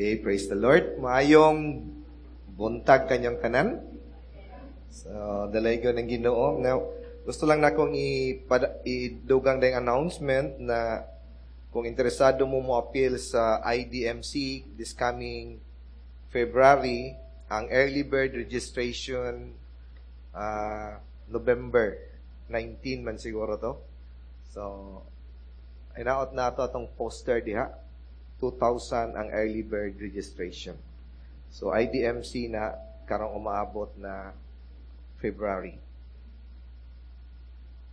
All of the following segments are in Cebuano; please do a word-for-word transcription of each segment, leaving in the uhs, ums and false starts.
Okay, praise the Lord. Maayong buntag kanyang tanan. So, dalaygon ang Ginoo. Now, gusto lang nakong idugang dayong announcement na kung interesado mo mo appeal sa I D M C this coming February, ang early bird registration uh, November nineteen man siguro to. So, inaot na to atong poster diha. two thousand ang early bird registration. So, I D M C na karong umaabot na February.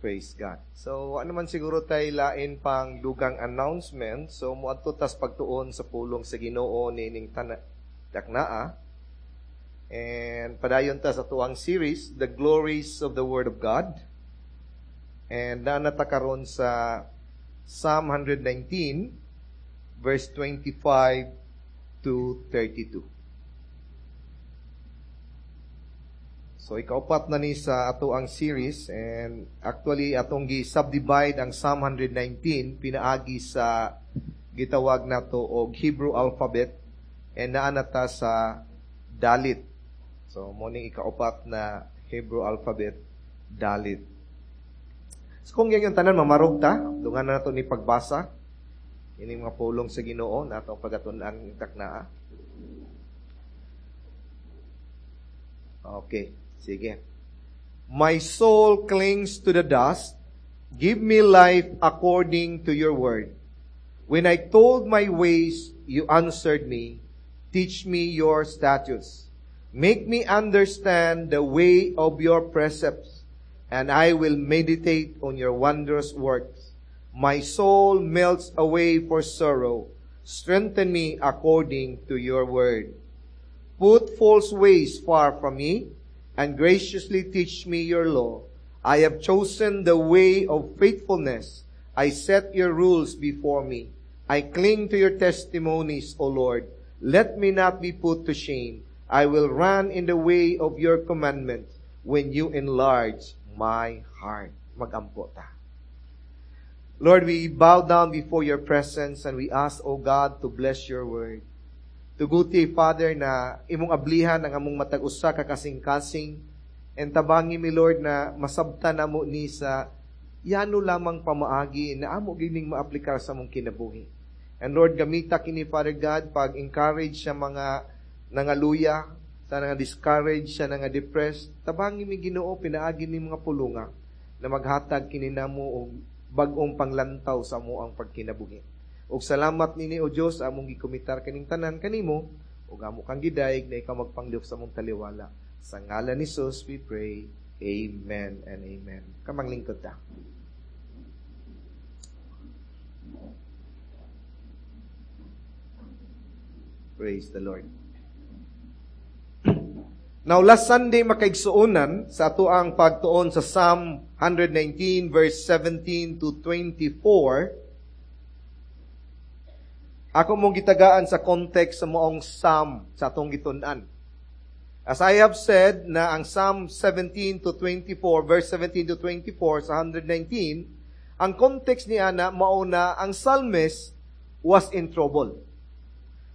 Praise God. So, ano man siguro tay lain pang dugang announcement. So, muadto tas pagtuon sa pulong sa Ginoo niining tana daknaa. And padayon ta sa tuang series, The Glories of the Word of God. And naa na ta karon sa Psalm one hundred nineteen, verse twenty-five to thirty-two. So ikaupat na ni sa ato ang series and actually atong gi-subdivide ang Psalm one hundred nineteen pinaagi sa gitawag nato og Hebrew alphabet and naa na ta sa Dalit. So mo ning ikaupat na Hebrew alphabet, Dalit. So kung yan yung tanan mamarog ta, dungan na nato ni pagbasa ining mga pulong sa Ginoo na atong pagatun-an taknaa. Okay, sige. My soul clings to the dust. Give me life according to your word. When I told my ways, you answered me. Teach me your statutes. Make me understand the way of your precepts, and I will meditate on your wondrous works. My soul melts away for sorrow. Strengthen me according to your word. Put false ways far from me, and graciously teach me your law. I have chosen the way of faithfulness. I set your rules before me. I cling to your testimonies, O Lord. Let me not be put to shame. I will run in the way of your commandments when you enlarge my heart. Magampo ta. Lord, we bow down before your presence and we ask, O God, to bless your word. Tuguti, Father, na imong ablihan ang among matag usa ka kasing-kasing and tabangi mi, Lord, na masabtan namo ni sa yano lamang pamaagi na amo gining maaplikar sa among kinabuhi. And Lord, gamita kini, Father God, pag-encourage sa mga nangaluya, sa nga discourage, sa nga depressed. Tabangi mi, Ginoo, pinaagi ni mga pulunga na maghatag kini namo og bag-ong panglantaw sa amo ang pagkinabuhi. Og salamat nini, O Dios, among gikomitar kaning tanan kanimo ug amo kang gidayeg na ikaw magpanglihok sa among taliwala. Sa ngalan ni Jesus we pray. Amen and amen. Kamang lingkod ta. Praise the Lord. Now, last Sunday, makaigsuonan, sa ato ang pagtuon sa Psalm one hundred nineteen verse seventeen to twenty-four, ako mong gitagaan sa context sa moong Psalm sa atong gitun-an. As I have said na ang Psalm seventeen to twenty-four, verse seventeen to twenty-four sa one hundred nineteen, ang context niya na mao na ang psalmist was in trouble.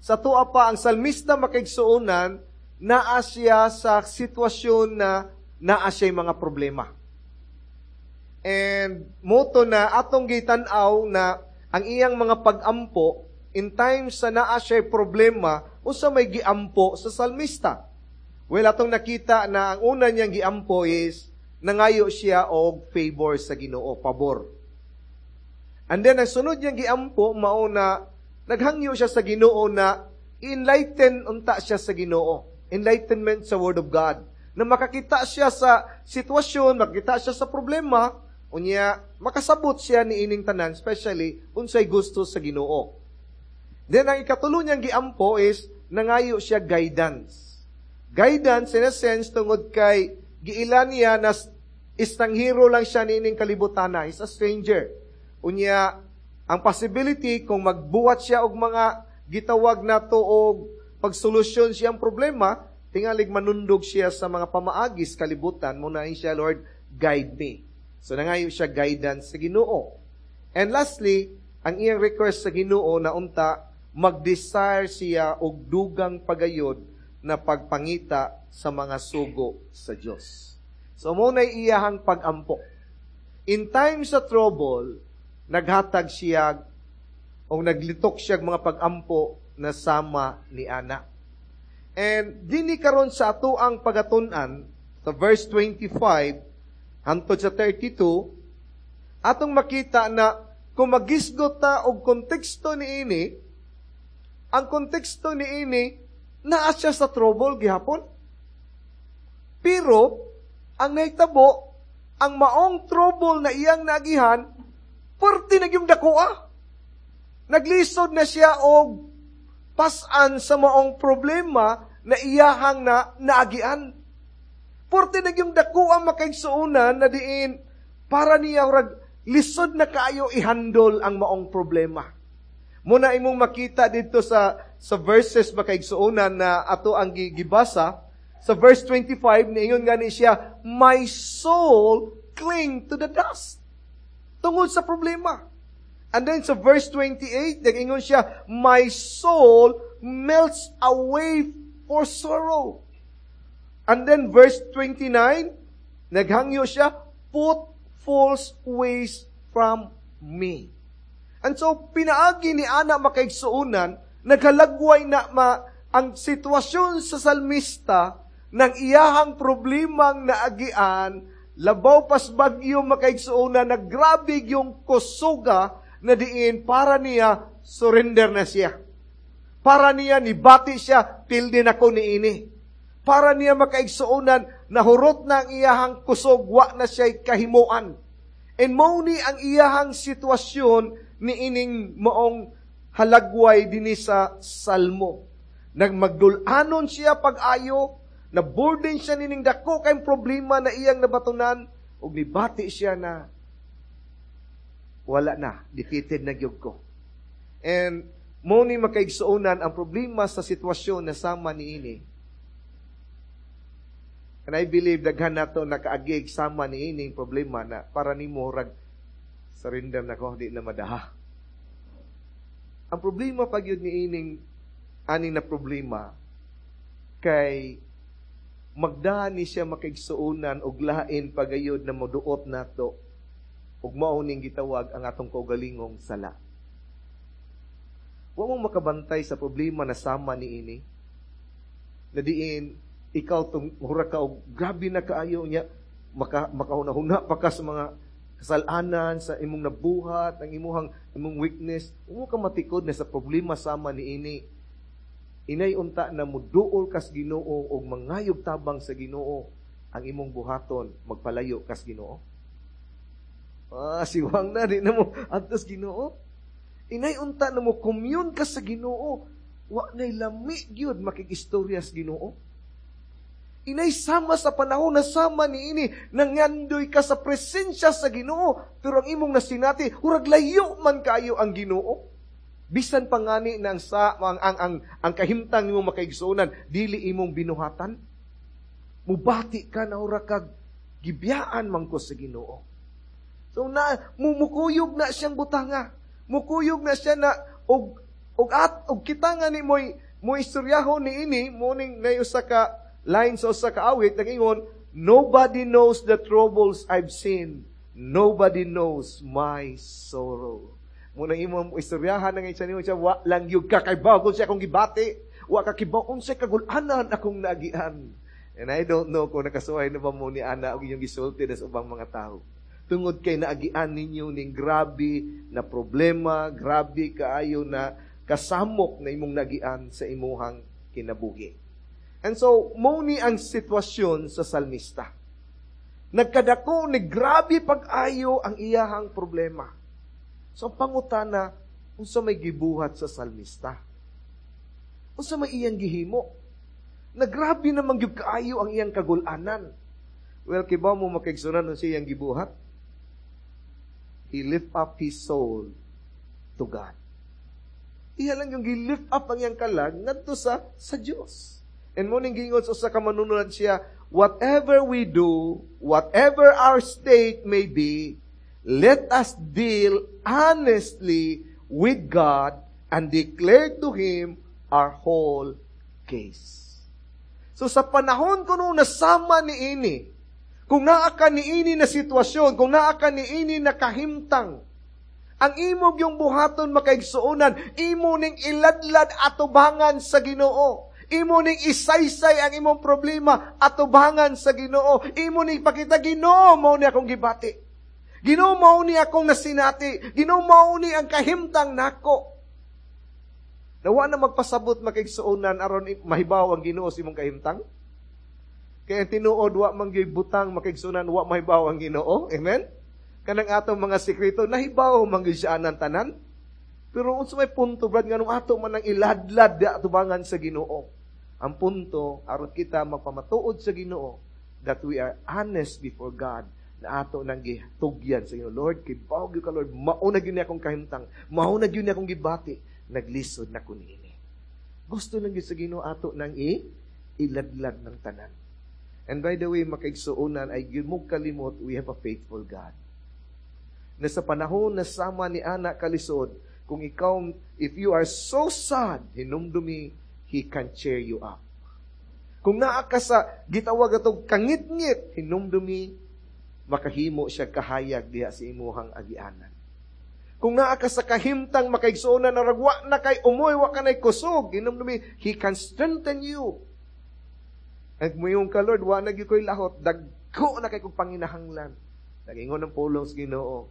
Sa tuwa pa, ang salmista, makaigsuonan, naa siya sa sitwasyon na naa siya'y mga problema. And moto na atong gitan-aw na ang iyang mga pag-ampo in times sa naa siya'y problema, unsa may giampo sa salmista. Well, atong nakita na ang una niyang giampo is nangayo siya og favor sa Ginoo, pabor. And then ang sunod niyang giampo mao na naghangyo siya sa Ginoo na enlighten unta siya sa Ginoo. Enlightenment sa Word of God. Na makakita siya sa sitwasyon, makakita siya sa problema, unya makasabot siya ni ining tanan, especially unsay gusto sa Ginoo. Then ang ikatulo niyang giampo is nangayo siya guidance. Guidance in a sense tungod kay giila niya na estranghero lang siya niining kalibutana, is a stranger. Unya ang possibility kung magbuhat siya og mga gitawag nato og pagsolusyon siyang problema, tingalig manundog siya sa mga pamaagis kalibutan, muna siya, "Lord, guide me." So nangayo siya guidance sa Ginoo. And lastly, ang iyang request sa Ginoo na unta mag-desire siya og dugang pagayod na pagpangita sa mga sugo sa Dios. So mao na iyahang pag-ampo. In times of trouble, naghatag siya o naglitok siya mga pag-ampo na sama ni ana. And dinhi karon sa ato ang pagatun-an sa verse twenty-five hantod sa thirty-two, atong makita na kung magisgot ta og konteksto niini, ang konteksto niini naa siya sa trouble gihapon. Pero ang nahitabo, ang maong trouble na iyang naagihan, perti na gyung dakoa. Naglisod na siya og pasan sa maong problema na iyahang na naagian. Perti na gyung dakoa, makaigsuonan, na diin para niya rag lisod na kaayo ihandol ang maong problema. Muna imong makita dito sa sa verses, makaigsuonan, na ato ang gibasa sa verse twenty-five, niingon gani siya, "My soul cling to the dust." Tungod sa problema. And then sa verse twenty-eight, nag-ingon siya, "My soul melts away for sorrow." And then verse twenty-nine, naghangyo siya, "Put false ways from me." And so, pinaagi ni ana, makaigsuonan, naghalagway na ma, ang sitwasyon sa salmista ng iyahang problemang naagian, labaw pas bagyo, makaigsuonan, na grabe yung kusuga na diin para niya surrender na siya. Para niya nibati siya, pildi na ko niini. Para niya, makaigsuonan, nahurot na ang iyahang kusog, wa na siya'y kahimuan. And mao ni ang iyahang sitwasyon ni ining maong halagway dinhi sa Salmo. Nagmagdulanon siya pag-ayo, na burden siya nining dako kay problema na iyang nabatunan, ug nibati siya na wala na, defeated na gyud ko. And mao ni, makaigsuonan, ang problema sa sitwasyon na sama niini. And I believe daghan nato nakaagig sama niining problema na para nimo rag surrender na ko, di na madaha. Ang problema pag yun niining ani na problema kay magdahan ni siya, makaigsuonan, og lain pagayod na moduot nato ug mao ning gitawag ang atong kaugalingong sala. Wa mo makabantay sa problema na sama niini. Na diin ikaw tong mura ka og grabe na kaayo niya, maka makahuna-huna pa ka sa mga kasalanan sa imong nabuhat, ang imuhang imong weakness, mo ka matikod na sa problema sama niini. Inay unta na muduol kas Ginoo og mangayog tabang sa Ginoo ang imong buhaton, magpalayo kas Ginoo. Ah, siwang na di na mo adtos Ginoo. Inay unta na mo commune ka sa Ginoo, wa nay lami gyud makig-istorya sa Ginoo. Inay sama sa panahon na sama niini, nangandoy ka sa presensya sa Ginoo, pero ang imong nasinati, hurag layo man kayo ang Ginoo. Bisan pa ngani na ang, sa, ang, ang, ang, ang kahimtang nimo, makaigsuonan, dili imong binuhatan. Mubati ka na hurag kag gibiyaan man ko sa Ginoo. So na mumukuyog na siyang butanga. Mukuyog na siya na og og at og kita nga ni moy mo istoryahon niini mo ning nay usa ka line sa usa ka awit nagingon, "Nobody knows the troubles I've seen. Nobody knows my sorrow." Muna imo istoryahan nga isa nimo siya, wa lang gyud ka kay bago siya akong gibati. Wa ka kibaw unsay kagul-anan akong naagian. And I don't know kung nakasuway na ba mo ni ana og inyong gisulti sa ubang mga tao. Tungod kay naagian ninyo ning grabe na problema, grabe kaayo na kasamok na imong nagian sa imuhang kinabuhi. And so, mao ni ang sitwasyon sa salmista. Nagkadako ni grabe pag-ayo ang iyahang problema. So, ang pangutana, unsa may gibuhat sa salmista? Unsa may iyang gihimo? Nagrabe naman gyud kaayo ang iyang kagulanan. Well, kibaw mo, makaigsuonan, unsa iyang gibuhat? He lift up his soul to God. Iya lang yung gi-lift up ang iyang kalag ngadto sa sa Dios. And mao ning giingon sa usa ka manunulat siya, "Whatever we do, whatever our state may be, let us deal honestly with God and declared to Him our whole case. So sa panahon kuno nasama ni ini, kung naa ka niini na sitwasyon, kung naa ka niini na kahimtang, ang imo gyung buhaton, makaigsuonan, imo ning iladlad atubangan sa Ginoo. Imo ning isaysay ang imong problema atubangan sa Ginoo. Imo ning pakita, "Ginoo, mao ni akong gibati. Ginoo, mao ni akong nasinati. Ginoo, mao ni ang kahimtang nako." Nawa na magpasabot, makaigsuonan, aron mahibaw ang Ginoo sa imong kahimtang. Kaya tinuod, wa man gyud butang, makaigsuonan, wa mahibaw ang Ginoo. Amen? Kanang atong mga sekreto, nahibaw man gyud siya anang tanan. Pero unsa may punto, Brad, nganong ato man ang iladlad di atubangan sa Ginoo? Ang punto, aron kita magpamatuod sa Ginoo that we are honest before God na ato nang gitugyan sa Ginoo. "Lord, kibaw gyud ka, Lord, mao na gyud ni akong kahimtang, mao na gyud ni akong gibati, naglisod na ko niini." Gusto lang gyud sa Ginoo ato nang i iladlad ng tanan. And by the way, makaigsuonan, ayaw gyud mo kalimot, we have a faithful God. Na sa panahon na sama ni ana kalisod, kung ikaw, if you are so sad, hinumdumi, He can cheer you up. Kung naa ka sa gitawag atong kangit-ngit, hinumdumi, makahimo siya kahayag diha sa imuhang agianan. Kung naa ka sa kahimtang, makaigsuonan, na ragwa na kay umoy, wa ka nay kusog, hinumdumi, He can strengthen you. At muingon ka, "Lord, wa na gyud ko'y lahot, dagko na kay kong panginahanglan." Nagingon ang pulong sa Ginoo.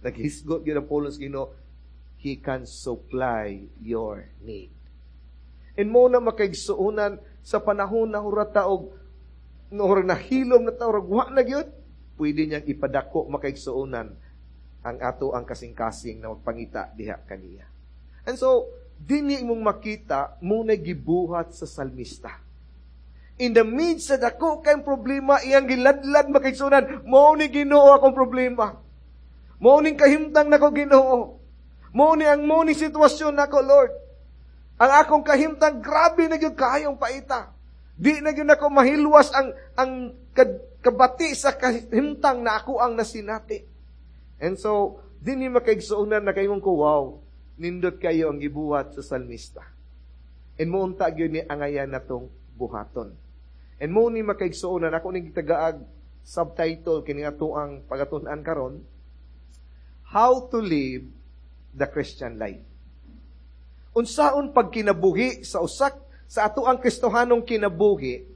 Naghisgot gyud ang pulong sa Ginoo. He can supply your need. And mao na, makaigsuonan, sa panahon na hura ta og no nahilom na ta, wa na gyud, pwede niyang ipadako, makaigsuonan, ang ato ang kasing-kasing na magpangita diha kaniya. And so, dinhi imong makita mao na gibuhat sa salmista. In the midst sa dako kay problema, iyang giladlad, makaigsuonan, "Mao ni, Ginoo, akong problema. Mao ning kahimtang nako, Ginoo. Mao ni ang mao ni sitwasyon nako, Lord. Ang akong kahimtang grabe na gyud kaayong paita. Di na gyud nako mahilwas ang ang kabati sa kahimtang na ako ang nasinati." And so, dinhi, makaigsuonan, nakaingon ko, "Wow, nindot kayo ang gibuhat sa salmista." And mao unta gyud ni angayan natong buhaton. And mao ni, makaigsuonan, ako ning gitagaag subtitle kini ato ang pagatun-an karon, How to Live the Christian Life. Unsaon pagkinabuhi sa usak sa ato ang Kristohanong kinabuhi,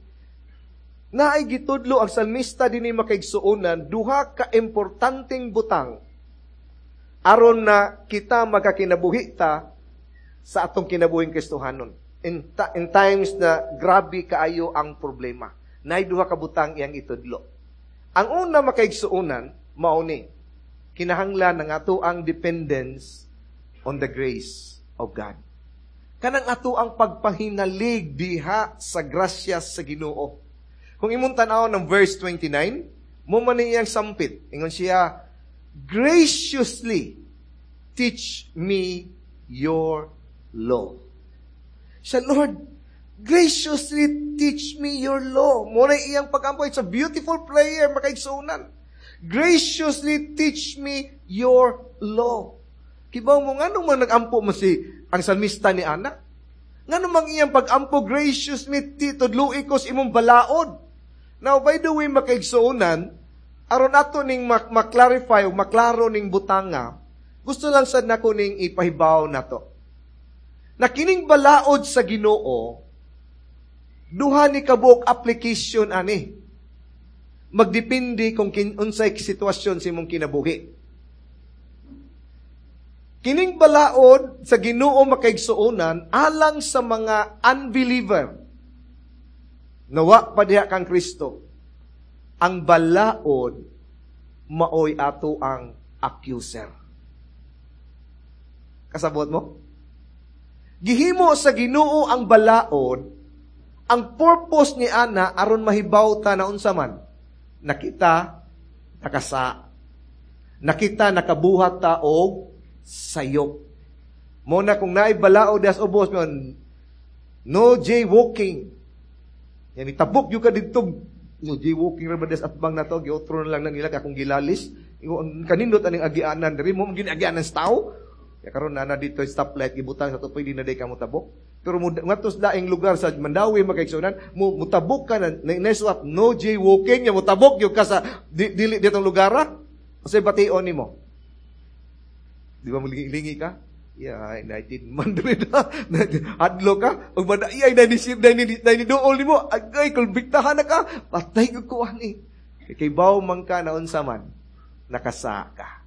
naay gitudlo ang salmista dinhi, makaigsuonan, duha ka importanteng butang aron na kita magkakinabuhi ta sa atong kinabuhing Kristohanon. In, ta- in times na grabe kaayo ang problema, naay duha ka butang iyang itudlo. Ang una, makaigsuonan, mao ni kinahanglan ng ato ang dependence on the grace of God. Kanang ato ang pagpahinalig diha sa grasya sa Ginoo. Kung imong tan-aw ng verse twenty-nine, mao man iyang sampit. Ingon siya, "Graciously teach me your law." Siya, "Lord, graciously teach me your law." Mao na iyang pag-ampo. It's a beautiful prayer, makaigsuonan. "Graciously teach me your law." Kibaw mo, nga man nag-ampo mo si ang salmista ni ana? Ngano mang iyang pag-ampo, "Graciously tudloi ko sa imong balaod"? Now, by the way, makaigsuonan, aron ato ning mak- maklarify o maklaro ning butanga, gusto lang sad nako ning ipahibaw nato. Na kining balaod sa Ginoo, duha ni kabuok application ani. Magdepende kung kin, unsay sitwasyon sa imong kinabuhi. Kining balaod sa Ginoo, makaigsuonan, alang sa mga unbeliever. Nawa pa diha kang Kristo. Ang balaod maoy ato ang accuser. Kasabot mo? Gihimo sa Ginoo ang balaod, ang purpose ni ana aron mahibaw ta na unsa man nakita nakasa. Nakita nakabuhat ta og sayop. Mao na kung naay balaod das ubos mo, "No jaywalking." Yan itabok gyud ka didto. "No jaywalking ra ba des atbang nato, giotro na lang na nila akong gilalis. Kanindot aning agianan diri mo, ginagianan sa tao." Ya karon na na dito stoplight gibutang sa tupoy di na day ka motabok. Pero ngadto sa laing lugar sa Mandaue makaigsuonan, mo mutabok ka na na no jaywalking ya mutabok gyud ka sa di, dili ditong lugar. Unsay bation nimo? Di ba mulingi ka? Yeah, nineteen hundred. Hadlo ka, ug ay dai ni dai ni duol nimo, agay kulbiktahan na ka, patay ko ko ani. Kay baw man ka na unsa man, nakasaka.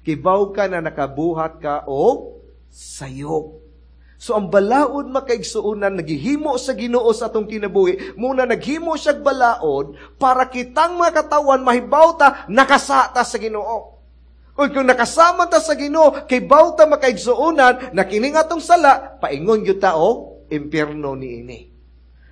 Kibaw ka na nakabuhat ka o sayop. So ang balaod makaigsuonan naghihimo sa Ginoo sa atong kinabuhi, muna naghimo siyag balaod para kitang mga katawan mahibaw ta nakasata sa Ginoo. Ug kung nakasama ta sa Ginoo, kay baw ta makaigsuonan na kining atong sala, paingon gyud ta og impyerno niini.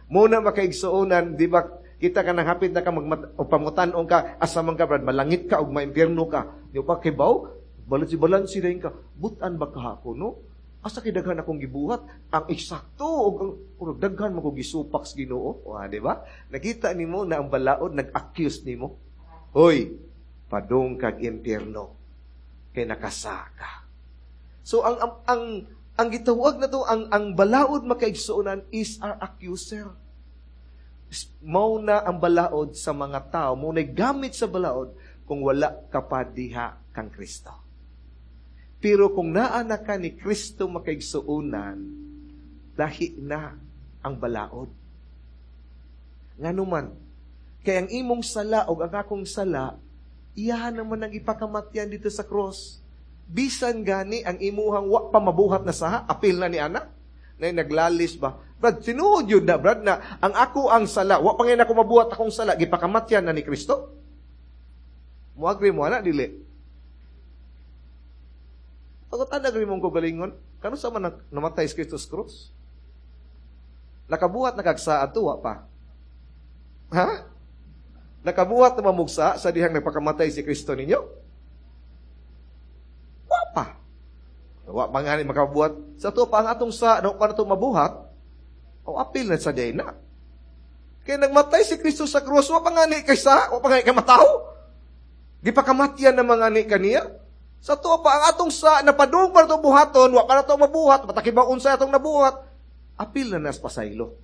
Muna makaigsuonan, di ba kita ka nang hapit na ka magmat o pamutan-ong ka asa man ka brad malangit ka og maimpyerno ka. Di ba kibaw? Balansi balansi rin ka. Butan ba ka ako, no? Asa kay daghan akong gibuhat? Ang eksakto og ang og daghan man ko gisupak sa Ginoo. O, di ba? Nakita nimo na ang balaod nag-accuse nimo. Hoy, padung kag impyerno kay nakasaka. So ang ang ang, ang gitawag na to ang ang balaod makaigsuonan is our accuser. Mao na ang balaod sa mga tao, mao na gamit sa balaod kung wala ka pa diha kang Kristo. Pero kung naa na ka ni Kristo makaigsuonan, lahi na ang balaod. Ngano man, kay ang imong sala o ang akong sala, iyahan naman ang ipakamatyan dito sa cross. Bisan gani ang imuhang wa pa mabuhat na saha, apil na ni ana, na naglalis ba? Brad, tinuod yun na, Brad, na ang ako ang sala, wa pa ngayon ako mabuhat akong sala, gipakamatyan na ni Kristo? Mo-agree mo, ana, dili? Pagkatan agree mong kagalingon, kano sa man namatay si Kristo sa cross? Nakabuhat na kagsaad to, wa pa? Ha? Nakabuhat na mamugsa sa dihang nagpakamatay si Kristo ninyo? Wa pa. Wa pa nga ni makabuhat. Sa to pa ang atong sa, no, pa na to mabuhat, o apil na sa day na. Kaya nagmatay si Kristo sa krus, wa pa nga ni kay sa, wa pa nga ni kay mataw. Di pa kamatyan na mga ni kaniya. Sa to pa ang atong sa, napadung pa na to buhaton, wa pa na to mabuhat, patakibaw unsa atong nabuhat, apil na nas pasaylo.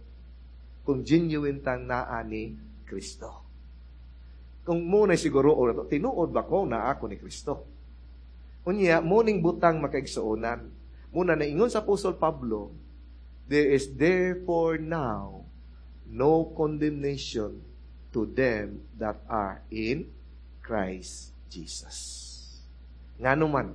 Kung genuine tang naa ni Kristo. Kung muna siguro, o tinuod ba ko na ako ni Kristo? Unya, muning butang makaigsuonan. Muna naingon sa Apostol Pablo, there is therefore now no condemnation to them that are in Christ Jesus. Ngano man,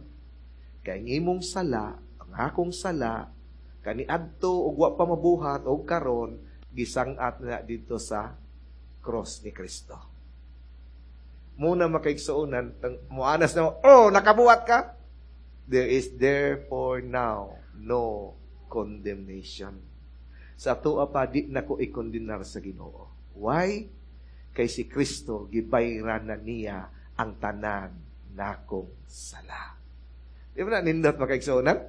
kay ang imong sala, ang akong sala, kaniadto og wa pa mabuhat og karon, gisang-at na dito sa cross ni Kristo. Muna makaigsuonan, muanas na, oh, nakabuhat ka. There is therefore now no condemnation. Sa atoa pa, di na ko ikondenar sa Ginoo. Why? Kay si Kristo, gibayran na niya ang tanan nakong sala. Di ba na nindot makaigsuonan?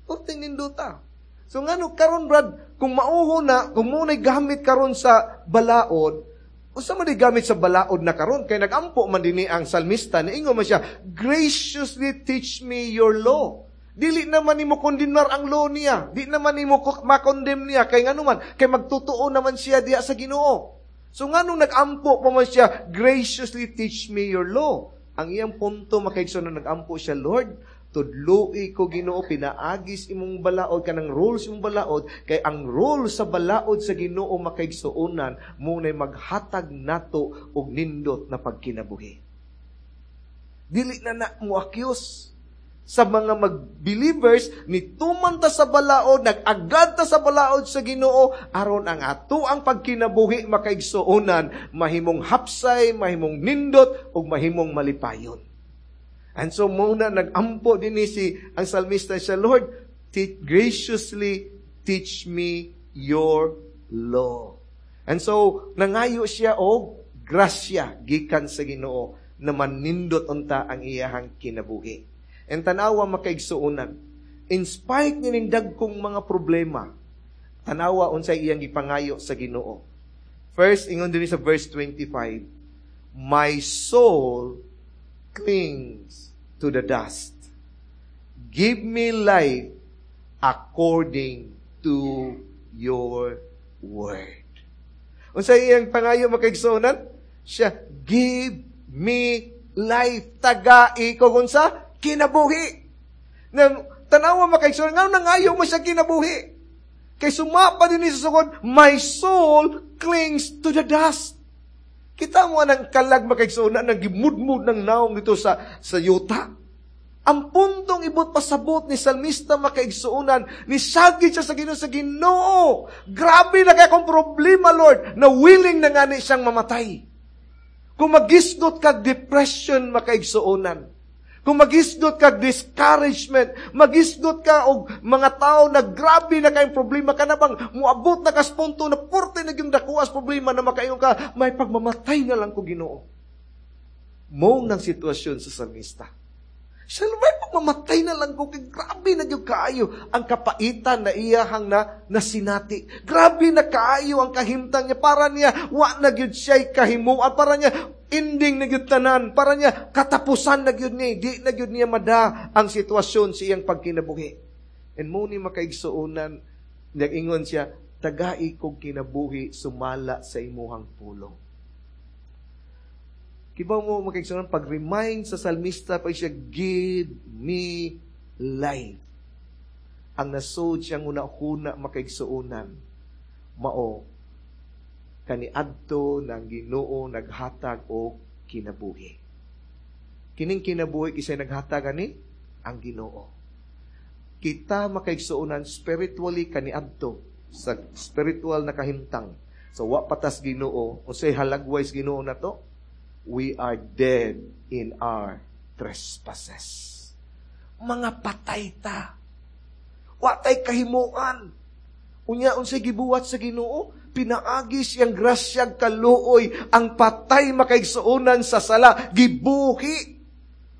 Kunting nindota. So ngano karon Brad, kung mauho na, kung muna'y gamit karon sa balaod, unsa man di gamit sa balaod na karon kay nagampo man dinhi ang salmista niingon man siya, graciously teach me your law. Dili naman nimo kondemnar ang law niya. Di naman nimo makondemn niya kay ngano man kay magtutuo naman siya diha sa Ginoo. So nganong nagampo pa man siya, graciously teach me your law. Ang iyang punto makaigsoon na nagampo siya, Lord, tudloi ko Ginoo pinaagis imong balaod kanang rules imong balaod kay ang rule sa balaod sa Ginoo makaigsuonan munay maghatag nato og nindot na pagkinabuhi. Dili na na mo accuse sa mga mag-believers nituman ta sa balaod, nag-agad ta sa balaod sa Ginoo aron ang ato ang pagkinabuhi makaigsuonan mahimong hapsay, mahimong nindot ug mahimong malipayon. And so muna nagampo din ni si ang salmista siya, Lord, te- graciously teach me your law. And so nangayo siya og grasya gikan sa Ginoo na manindot unta ang iyahang kinabuhi. And tanawa makaigsuonan, in spite ni dagkong mga problema, tanawa unsay iyang gipangayo sa Ginoo. First, ingon dinhi sa verse twenty-five, my soul clings to the dust. Give me life according to your word. Unsa iyang pangayo, makaigsuonan? Siya, "Give me life." Tagai ko unsa? Kinabuhi. Na, tanawa, makaigsuonan, nga nangayo mo siya kinabuhi. Kay sumapa din sa sugod, "My soul clings to the dust." Kita mo ang kalag, makaigsuonan, nang gimudmud ng naong dito sa, sa yuta. Ang puntong ibot pasabot ni salmista, makaigsuonan, ni sagid siya sa Ginoo sa Ginoo. "Grabe na kay akong problema, Lord," na willing na ngani siyang mamatay. Kung magisgot kag depression, makaigsuonan, kung magisgot kag discouragement, magisgot ka og mga tao na grabe na kayong problema ka na bang muabot na kas punto na purte na yung dakuas problema na makaingon ka, "May pagmamatay na lang ko, Ginoo." Mo ng sitwasyon sa salmista. Siya, "May pagmamatay na lang ko, kay grabe na gyud kaayo ang kapaitan na iyahang na nasinati. Grabe na kaayo ang kahimtang niya. Para niya, wa na gyud siya'y kahimuan. Para niya, ending na gyud tanan. Para niya, katapusan na gyud ni. Di na gyud niya mada ang sitwasyon sa iyang pagkinabuhi." And mo ni, makaigsuonan, nag-ingon siya, "Tagai kog kinabuhi sumala sa imuhang pulong." Kibaw mo, makaigsuonan, pag-remind sa salmista, pag siya, "Give me life." Ang nasod siyang una-huna, makaigsuonan, mao, kaniadto ng Ginoo naghatag og kinabuhi. Kining kinabuhi kisay naghatag ani? Ang Ginoo. Kita, makaigsuonan, spiritually kaniadto sa spiritual na kahimtang. So wa patas Ginoo, unsay halagway sa Ginoo nato? We are dead in our trespasses. Mga patay ta. Wa tay kahimuan. Unya unsay gibuhat sa Ginoo? Pinaagi siyang grasyag kaluoy ang patay, makaigsuonan, sa sala gibuhi.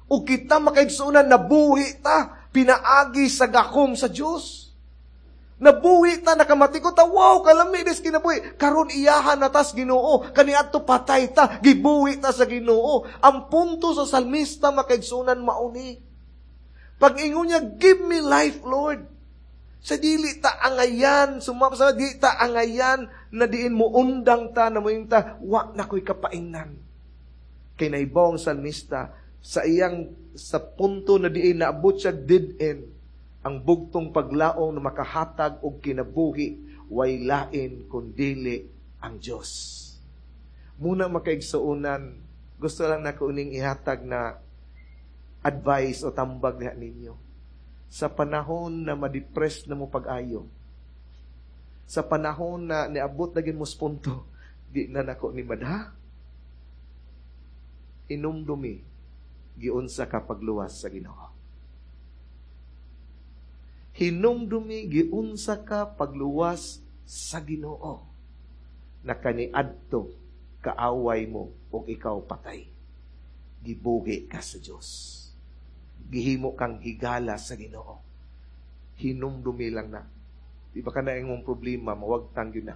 O kita, makaigsuonan, nabuhi ta pinaagi sa gahom sa Dios. Nabuhi ta, nakamatikod ta, "Wow, kalami dis kinabuhi." Karon iyahan na tas Ginoo, kaniadto patay ta, gibuhi ta sa Ginoo. Ang punto sa salmista, makaigsuonan, mauni. Pag ingon niya, "Give me life, Lord." Sa dili ta angayan, sumapa sa di ta angayan na diin mo undang ta na mo ta, "Wa na ko'y kapaingnan." Kay nahibaw ang salmista sa iyang sa punto na diin naabot siya dead end, ang bugtong paglaong na makahatag og kinabuhi way lain kundili ang Dios. Muna, makaigsuonan, gusto lang nako uning ihatag na advice o tambag diha ninyo. Sa panahon na ma-depress na mo pag-ayo, sa panahon na niabot na gid mo sa punto, "Di na nako ni madha," inumdumi giunsa ka pagluwas sa Ginoo. Hinumdumi giunsa ka pagluwas sa Ginoo. Na kaniadto kaaway mo ug ikaw patay. Gibuhi ka sa Dios. Gihimo kang higala sa Ginoo. Hinumdumi lang na. Di ba kana imong problema mawagtang yun na?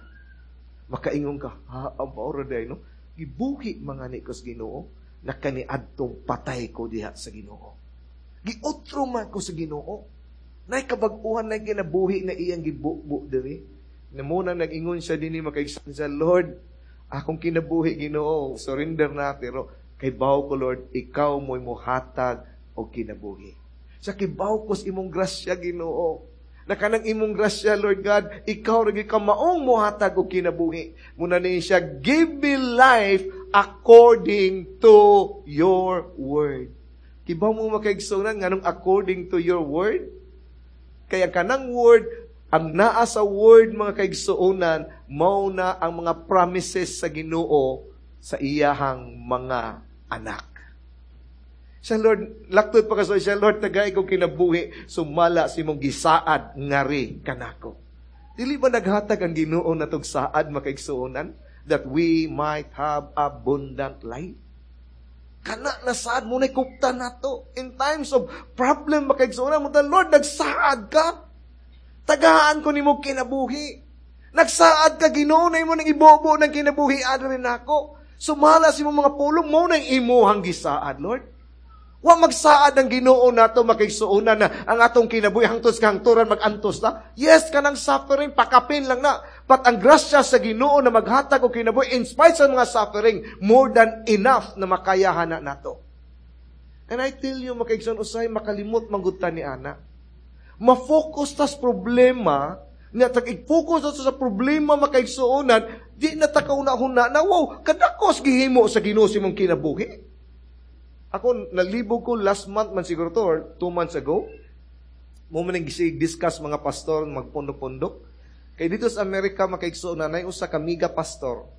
Makaingon ka, "Ha, ang paora day, no? Gibuhi mga ni ko sa Ginoo na kaniadtong patay ko diha sa Ginoo. Giutro man ko sa Ginoo. Nay kabag-uhan na kinabuhi na iyang gibubo diri." Na muna nag-ingon siya dinhi, makaigsuon siya, "Lord, akong kinabuhi, Ginoo, surrender na, pero kay baw ko, Lord, ikaw mo'y muhatag og kinabuhi. Sa kibaw ko sa imong grasya, Ginoo. Na kanang imong grasya, Lord God, ikaw ra ka maong muhatag og kinabuhi." Muna ni siya, "Give me life according to your word." Kibaw mo, makaigsuonan, nganong according to your word? Kaya kanang word, ang naa sa word, mga kaigsuonan, mao na ang mga promises sa Ginoo sa iyahang mga anak. Siya, "Lord," laktod pa kaso siya, "Lord, tagay kong kinabuhi, sumala sa imong gisaad ngari kanako." Dili ba naghatag ang Ginoo natog saad, makaigsuonan, that we might have abundant life? Kana na saad mo na kupta nato. In times of problem, makaigsuonan mo, "Lord, nagsaad ka. Tagaan ko nimo kinabuhi. Nagsaad ka, Ginoo, na imo nang ibobo ng kinabuhi adri nako. Sumala sa imong mga pulong mo nang imuhang gisaad, Lord." Wa magsaad ang Ginoo nato, makaigsuonan, na ang atong kinabuhi hangtod sa kahangturan magantos ta. Yes, kanang suffering pakapin lang na. But ang grasya sa Ginoo na maghatag og kinabuhi in spite sa mga suffering, more than enough na makayahan na nato. And I tell you, makaigsoon, usahay makalimot man gud ta ni ana. Ma-focus tas problema, nga tag i-focus ta sa problema, makaigsuonan, di na ta kauna-huna na, wow, kadakos gihimo sa Ginoo sa imong kinabuhi. Ako, nalibog ko last month man siguro to, or two months ago. Mao man discuss mga pastor, magpundok-pundok. Kay dito sa Amerika, makaigsuon, na usa ka mega pastor.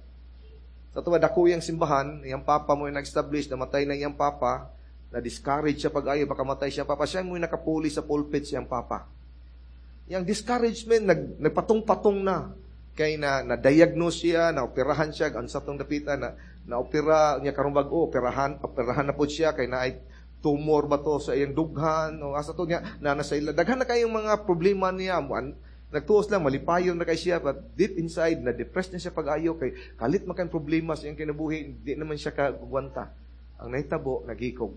Sa tuwa, dako iyang simbahan, iyang papa mo yung nag-establish, namatay na iyang papa, na-discourage siya pag-ayo, baka matay siya papa. Siya mo yung nakapuli sa pulpit siyang papa. Yang discouragement, nag, nagpatong-patong na. Kay na, na-diagnose siya, na-operahan siya, ang sa tong dapita, na, na-opera niya karong bag-o, operahan, operahan na po siya, kay na ay tumor ba to sa iyang dughan, o asa to niya, na nasa ila. Daghan na kayong mga problema niya. An, nagtuos lang, malipayon na kay siya, but deep inside, na-depressed na siya pag-ayo, kay kalit man problema sa iyang kinabuhi, hindi naman siya kagwanta. Ang nahitabo, naghikog.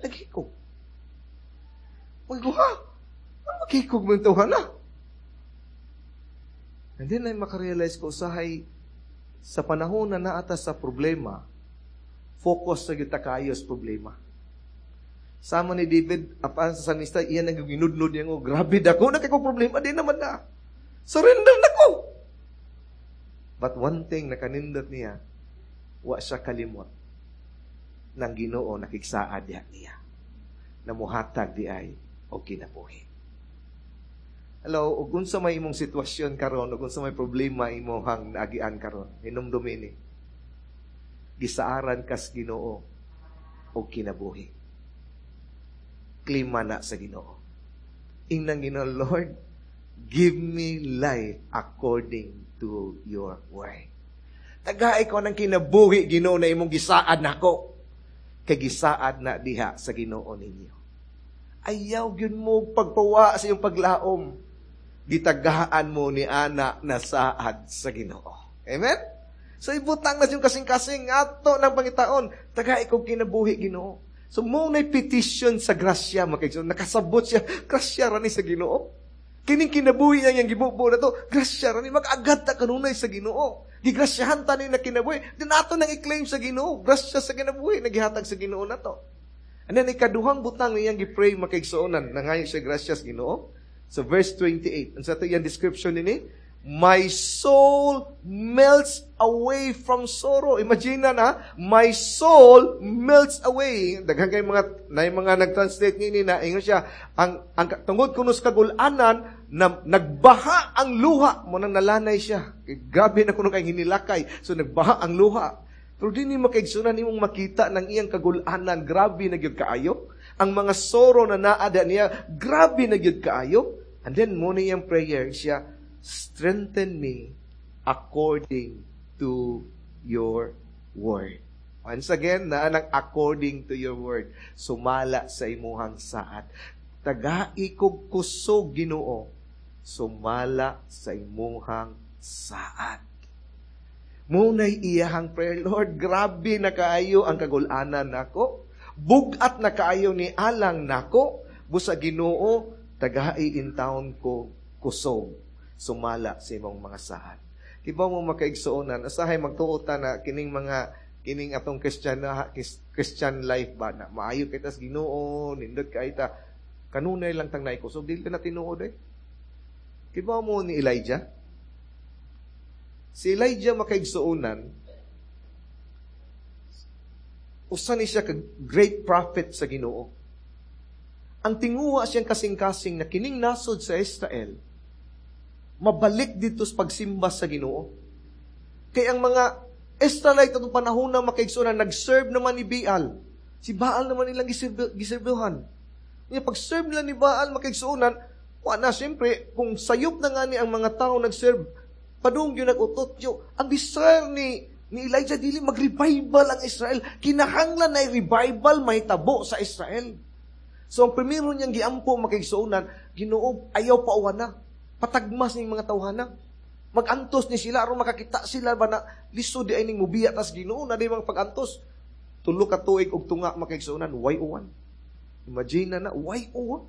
Naghikog. Magguha. Ano maghikog mo yung tawhana? And then ay makarealize ko, usahay, sa panahon na naata sa problema, focus sa gyud kayo sa problema. Sama ni David, apan sa salmista, iyan ang ginudnod niya, oh, grabe dako na kay problema, di naman na. Surrender na ko. But one thing na kanindot niya, wa siya kalimot ng Ginoo nakigsaad diha niya. Namuhatag di ay og kinabuhi. Hello, ug unsa may imong sitwasyon karon, ug unsa may problema imong naagian karon, hinumdumi ni. Gisaaran kas Ginoo og kinabuhi. Klima na sa Ginoo. Ingnan Ginoo, "Lord, give me life according to your word." Tagai ko ng kinabuhi, Ginoo, na imong gisaad nako. Kay gisaad na diha sa Ginoo ninyo. Ayaw gyud mo pagpawa sa iyong paglaom. Gitagaan mo ni ana na saad sa Ginoo. Amen? So ibutang na siyang kasing-kasing ato ng pangitaon. Tagai kong kinabuhi, Ginoo. So mo na petition sa grasya, makaigsoon. Nakasabot siya, grasya ra ni sa Ginoo. Kining kinabuhi niya yung gibubo na to, grasya ra ni, mag-agad ta kanunay sa Ginoo. Gigrasyahan ta ni na kinabuhi. Di nato nang i-claim sa Ginoo. Grasya sa kinabuhi, nagihatag sa Ginoo na to. And then ikaduhang butang niyang gi-pray, makaigsuonan, nangayo siya grasya sa Ginoo. So verse twenty-eight, ang sa ito iyang description nini, "My soul melts away from sorrow." Imagine na, na, "My soul melts away." Daghan kay mga na mga nag-translate niini na ingon siya ang ang tungod kuno sa kagulanan na nagbaha ang luha mo nang nalanay siya. Grabe na kuno kay hinilakay. So nagbaha ang luha. Pero di ni, makaigsunan, nimong makita ng iyang kagulanan, grabe na gyud kaayo. Ang mga sorrow na naada niya, grabe na gyud kaayo. And then mo na iyang prayer siya, "Strengthen me according to your word." Once again, naa nang "according to your word." Sumala sa imuhang saad. Tagai kog kusog, Ginoo, sumala sa imuhang saad. Muna'y iyahang prayer, "Lord, grabe na kaayo ang kagulanan nako. Bugat na kaayo ni alang nako. Busa Ginoo, tagai in taon ko kusog sumala sa imong mga saad." Kibaw mo, makaigsuonan, asahay magtuo ta na kining mga kining atong Christian na Christian life ba na maayo kay tas Ginoo, nindot kay ta kanunay lang tang naay kusog, dili na tinuod eh. Kibaw mo ni Elijah? Si Elijah, makaigsuonan, usa ni siya ka great prophet sa Ginoo. Ang tinguha siyang kasing-kasing na kining nasod sa Israel, mabalik dito sa pagsimba sa Ginoo. Kay ang mga Israelite atong panahon na, makaigsuonan, nag-serve naman ni Baal. Si Baal naman nilang giserbihan. Nga pag-serve nila ni Baal, makaigsuonan, wa na siyempre, kung sayop na nga ni ang mga tao nag-serve, padung yun nag-utot yo. Ang desire ni ni Elijah dili mag-revival ang Israel. Kinahanglan na revival mahitabo sa Israel. So ang primero niyang giampo, makaigsuonan, "Ginoo, ayaw pa na. Patagmas ning mga tawhana. Magantos ni sila aron makakita sila ba na lisod di ay ning mubiya tas Ginoo na di mga pagantos." Tulo ka tuig og tunga makaigsuonan, way uwan. Imagine na na, way uwan.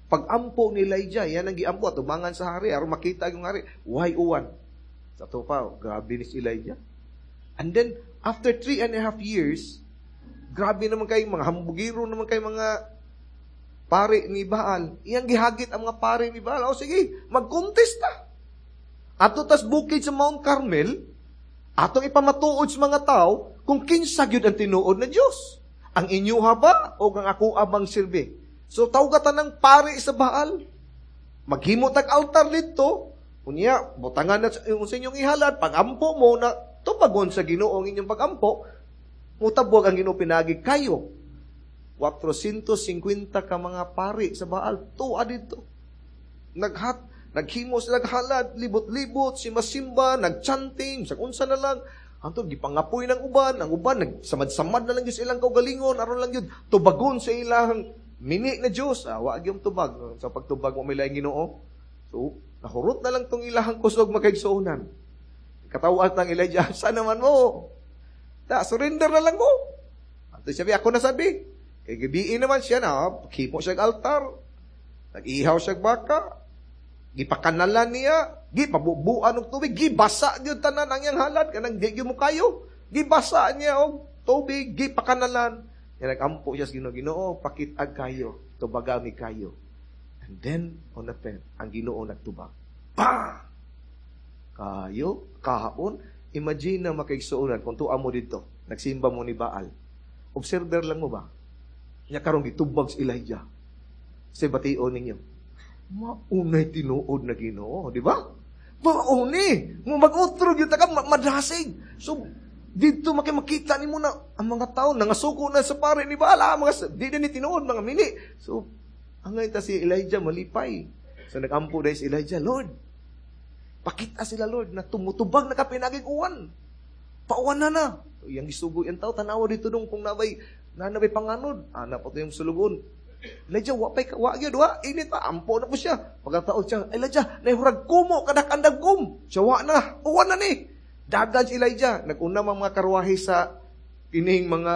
Pag-ampo ni Elijah, yan ang giampo, tubangan sa hari, aron makita yung hari, way uwan. Sa to pa, grabe ni si Elijah. And then, after three and a half years, grabe naman kay mga hambugiro naman kay mga pare ni Baal. Iyang gihagit ang mga pare ni Baal. O sige, mag-contest ta. Ato tas bukid sa Mount Carmel, atong ipamatuod sa mga tao kung kinsa gyud ang tinuod na Dios. Ang inyuha ba o ang ako abang silbi? So tawga tanang pare sa Baal. Maghimo tag altar dito. Unya, butangan na yung sa inyong ihalad, pag-ampo mo na tubagon sa Ginoo ang inyong pag-ampo, mutabog ang Ginoo pinagi kayo. four hundred fifty ka mga pari sa Baal, tuwa dito. Naghat, naghimos, naghalad, libot-libot, si masimba, nagchanting, sa unsa na lang. Antod, gipangapoy ng uban, ang uban, nagsamad-samad na lang yun sa ilang kaugalingon, aron lang yun, tubagon sa ilang mini na Diyos. Ah, wa gyud tubag. Sa pagtubag mo may laing Ginoo. So, nahurot na lang tong ilahang kusog makaigsuonan. Katawat ng Elijah, "Sa naman mo? Ta, surrender na lang mo." Ato sabi, "Ako na sabi." Kay gabiin naman siya na, kimo siya altar. Nag-ihaw siya baka. Gipakanalan niya, gipabubuan og tubig, gibasa gyud tanan ang iyang halad kanang di gyud mo kayo. Gibasa niya og tubig, gipakanalan. Ya nag-ampo siya sa Ginoo, "Ginoo, pakit-ag kayo, tubaga mi kayo." And then, on the pen, ang Ginoo nagtubag. Pa! Kayo, kaon, imagine na makaigsuonan kung tuwa mo dito, nagsimba mo ni Baal. Observer lang mo ba? Nya karon gitubag si Elijah. Sa bation ninyo. Maunay tinuod na Ginoo, di ba? Mauni. Mo mag-utro gyud ta ka madasig. So dito makita nimo na ang mga tao nangasuko na sa pare ni Baal, ah, mga di na ni tinuod mga mini. So angay ta si Elijah malipay. So nagampo dahil si Elijah, "Lord, pakita sila Lord na tumutubag na ka pinaging uwan. Pauwan na na." So, iyang gisugo yung tao, tanawa dito dong kung nabay, nanabay panganod. Ana pa to yung sulugon. "Elijah, wa pay wa gyud, wa init pa." Ampo na po siya. Pagkataon siya, "Elijah, nahurag kumo kadak andagom." Siya, "Wa na, uwan na ni." Dagan si Elijah. Naguna mga mga karwahe sa kining mga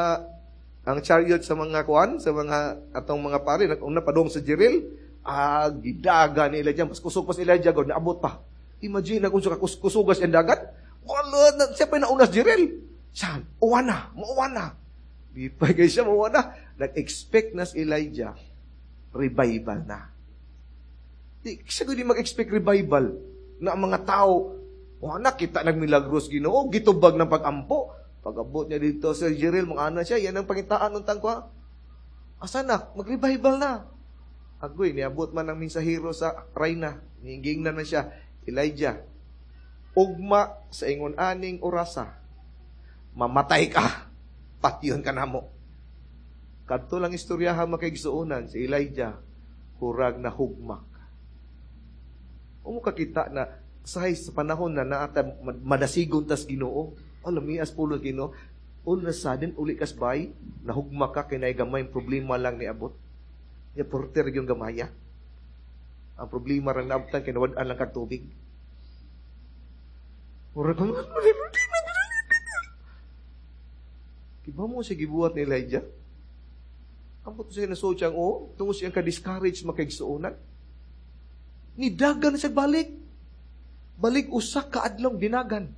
ang chariot sa mga kuan, sa mga atong mga pare, naguna padong sa Jezreel. Ah, gidaga ni Elijah. Mas kusog pa si Elijah, God, naabot pa. Imagine na kung sa kusugas ang dagat. Wala, na, siya pa nauna sa Jezreel. Saan? Uwan na, mauwan na. Di pa kayo siya, mauwan na. Nag-expect na si Elijah, revival na. Di, siya di mag-expect revival na ang mga tao, wala kita nagmilagros Ginoo, gitubag ng pag-ampo. Pag-abot niya dito sa Jezreel, mga ana siya, yan ang pangitaan ng tangkwa. Asa na? Mag-revival na. Agoy, niabot man ang mensahero sa rayna. Niingingnan man siya, "Elijah, ugma sa ingon aning orasa, mamatay ka, patyon ka namo." Kadto lang istoryaha makaigsuonan si Elijah, hurag na hugmak. Umo kakita na sahay sa panahon na naata madasigon tas Ginoo. Alam mias pulo Ginoo. All of a sudden, uli kas bay, nahugma ka kay gamay problema lang ni abot. Ya porter yung gamaya. Ang problema rang naabtan kay nawad-an lang kag tubig. Murag Kiba mo siya gibuhat ni Elijah? Ambot siya nasuot siyang o, tungo siyang ka-discourage makaigsuonan. Nidagan siya balik. Balik usa ka adlaw dinagan.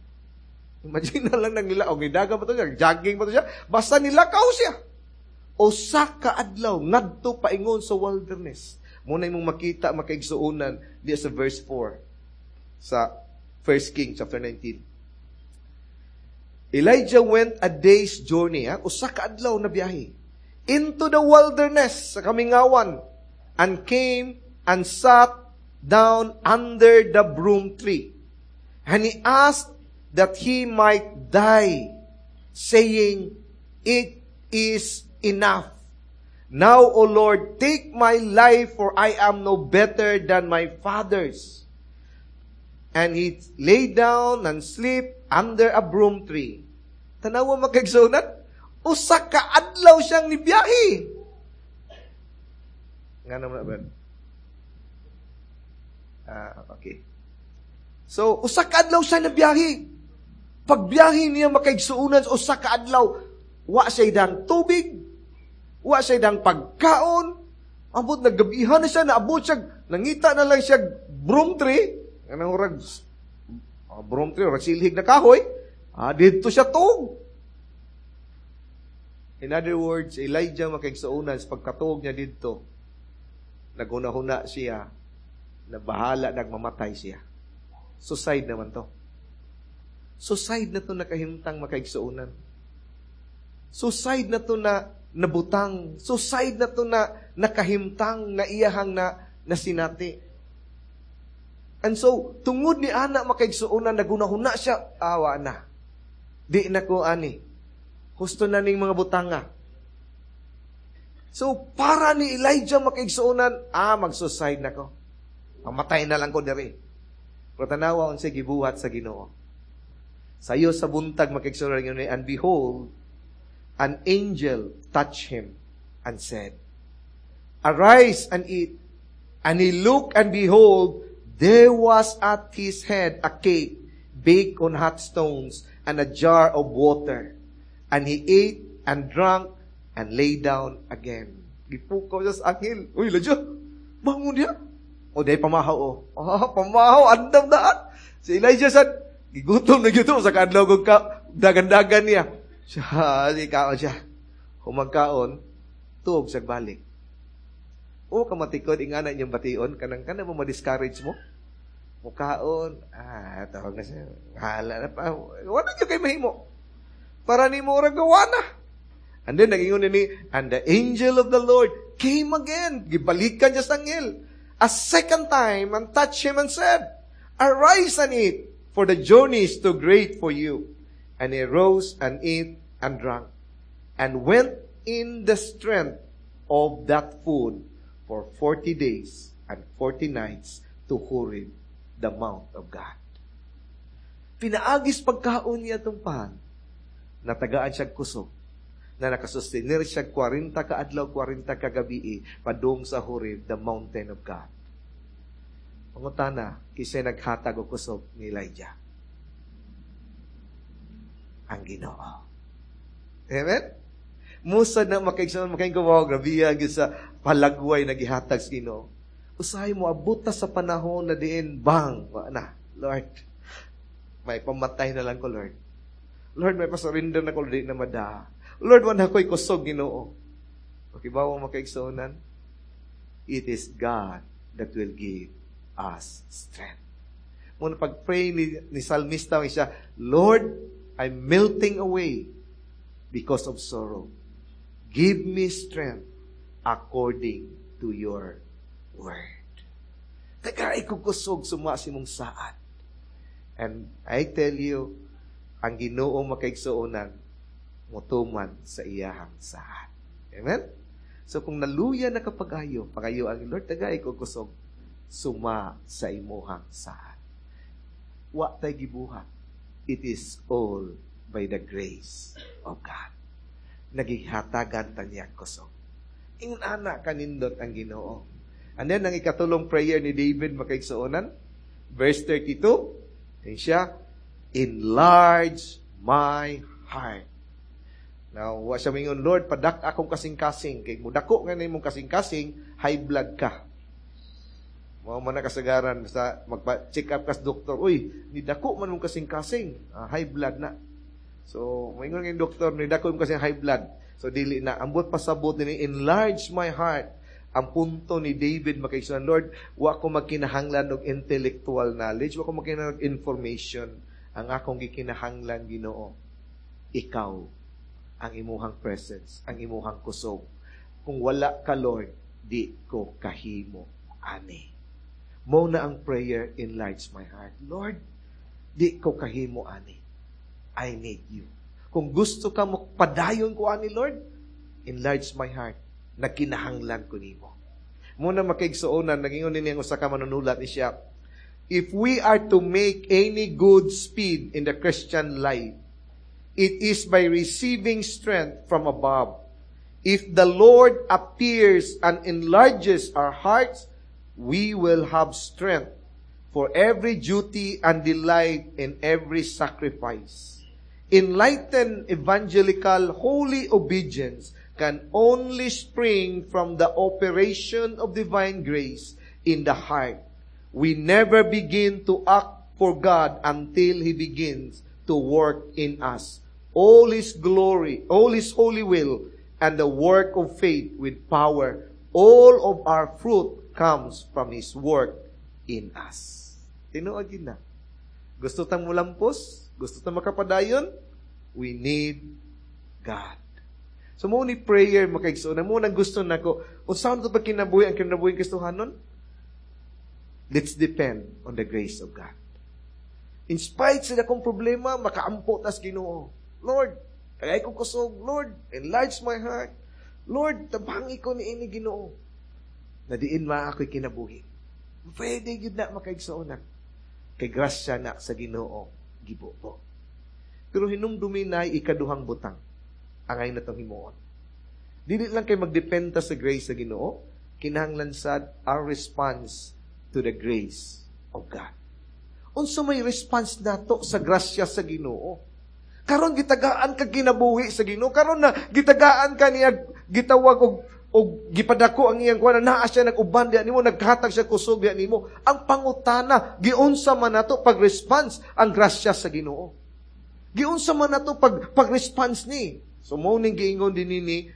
Imagine na lang nang nila, o nidagan pa to siya, jogging pa to siya, basta nilakaw siya. Usa ka adlaw ngadto paingon sa wilderness. Muna imong makita makaigsuonan diya sa verse four sa First King chapter nineteen. Elijah went a day's journey, ha? Usa ka adlaw na biyahe, into the wilderness sa kamingawan and came and sat down under the broom tree. And he asked that he might die, saying, "It is enough. Now, O Lord, take my life, for I am no better than my fathers." And he lay down and sleep under a broom tree. Tanawa makaigsuonan, usa ka adlaw siyang nibiyahe. Nga naman ba? Ah, okay. So, usa ka adlaw siya nabiyahe. Pagbiyahe niya makaigsuonan sa usa ka adlaw, Wa siya dang tubig, wa siya dang pagkaon. Ambot naggabihan na siya, naabot siya, nangita na lang siya broom tree, kanang urag uh, broom tree, urag silhig na kahoy, ah, didto siya tuog. In other words, Elijah makaigsuonan sa pagkatuog niya didto, naghuna-huna siya na bahala nagmamatay siya. Suicide naman to. Suicide na to nakahimtang makaigsuonan. Suicide na to na nabutang. Suicide na to na nakahimtang na iyahang na nasinati. And so, tungod ni ana makaigsuonan, naghuna-huna siya, awa na. Di na ko ani. Husto na ning mga butanga. So, para ni Elijah makaigsuonan, ah, mag-suicide na ko. Mamatay na lang ko diri. Pero tanawa unsay gibuhat sa Ginoo. Sayo sa buntag makaigsuonan yun, and behold, an angel touched him and said, Arise and eat. And he looked and behold, there was at his head a cake baked on hot stones and a jar of water. And he ate and drank and lay down again. Gipukaw siya sa anghel. Uy, Elijah, bangon niya. O, dahil pamahaw, o. Ah, pamahaw, andam daan. Si Elijah sad, gigutom na gyud sa kaadlaw kog ka, dagan-dagan niya. Siya, si kaon siya. Humagkaon, tuog sa balik. O kamatikod, ingana niyang bation, kanang kanang mo ma-discourage mo. Mukaon, ah, tawag na siya. Hala na pa. Wala niyo kay mahimo. Para ni mo gawa na. And then, nagingon ni, and the angel of the Lord came again. Gibalikan siya sa anghel. A second time, and touched him and said, Arise and eat, for the journey is too great for you. And he rose and ate and drank, and went in the strength of that food for forty days and forty nights to Horeb, the mount of God. Pinaagis pagkaon niya itong pan, natagaan siya kusog, na nakasustenir siya kwarenta ka adlaw, kwarenta ka gabi, padung sa Horeb, the mountain of God. Pangutana, kisay naghatag og kusog ni Elijah? Ang Ginoo. Amen? Musa na makaigsoon, makaing wow, grabe gyud sa palagway na gihatag sa Ginoo. Usahay mo abot ta sa panahon na diin bang wa na, Lord. May pamatay na lang ko, Lord. Lord, may pasurrender na ko di na mada. Lord, wala ko'y kusog Ginoo. Pakibaw makaigsuonan, it is God that will give us strength. Muna pag-pray ni, ni Salmista siya, Lord, I'm melting away because of sorrow. Give me strength according to your word. Tagai ko kusog suma sa imong saad. And I tell you, ang Ginoo makaigsuonan, mutuman sa iyahang saad. Amen? So kung naluya na kapag-ayo, pagayo ang Lord, tagay ko kusog, suma sa imuhang saad. Wa tay gibuhat. It is all by the grace of God. Nagihatagan ta niya kusog. Ingon ana kanindot ang Ginoo. And then, ang ikatulong prayer ni David makaigsuonan, verse thirty-two, and siya, enlarge my heart. Now, wa siya mingon, Lord, padak akong kasing-kasing. Kay mudako nga nimong kasing-kasing, high blood ka. Mao man na kasagaran, basta magpa-check up kas doktor, uy, ni dako man mong kasing-kasing, ah, high blood na. So, moingon nga doktor, ni dako mong kasing high blood. So, dili na. Ambot pasabot ni enlarge my heart. Ang punto ni David makaigsuonan, Lord, wa ko magkinahanglan og intellectual knowledge, wa ko magkinahanglan og information. Ang akong gikinahanglan, Ginoo, ikaw, ang imuhang presence, ang imuhang kusog. Kung wala ka, Lord, di ko kahimo ani. Mo na ang prayer, enlarge my heart. Lord, di ko kahimo ani. I need you. Kung gusto ka mo padayon ko ani, Lord, enlarge my heart. Nagkinahanglan ko nimo. Muna makaigsuonan, nagingon ni ang usa ka manunulat ni siya, if we are to make any good speed in the Christian life, it is by receiving strength from above. If the Lord appears and enlarges our hearts, we will have strength for every duty and delight in every sacrifice. Enlightened evangelical holy obedience can only spring from the operation of divine grace in the heart. We never begin to act for God until He begins to work in us. All His glory, all His holy will, and the work of faith with power, all of our fruit comes from His work in us. Tinuod gyud na. Gusto tang mulampos? Gusto tang makapadayon? We need God. So mao ni prayer, mga kaigsuonan, mao nang gusto nako. Unsa man to pag kinabuhi ang kinabuhi Kristohanon? Let's depend on the grace of God. In spite sa akong problema, makaampo tas Ginoo. Lord, kaya ko kusog. Lord, enlarge my heart. Lord, tabangi ko ni ini, Ginoo. Na diin ma ako'y kinabuhi. Pwede gyud na, mga kaigsuonan. Kay grasya na sa Ginoo gibubo. Pero hinumdumi na ikaduhang butang angay natong himuon. Dili lang kay magdependa sa grace sa Ginoo, kinahanglan sad our response to the grace of God. Unsa may response nato sa grasya sa Ginoo? Karon gitagaan ka kinabuhi sa Ginoo, karon na gitagaan ka niya, gitawag og og gipadako ang iyang kuan, naa siya nag-uban diha nimo, naghatag siya kusog diha nimo. Ang pangutana, giunsa man nato pag-response ang grasya sa Ginoo? Giunsa man nato pag pag-response ni? So mo ning giingon din ni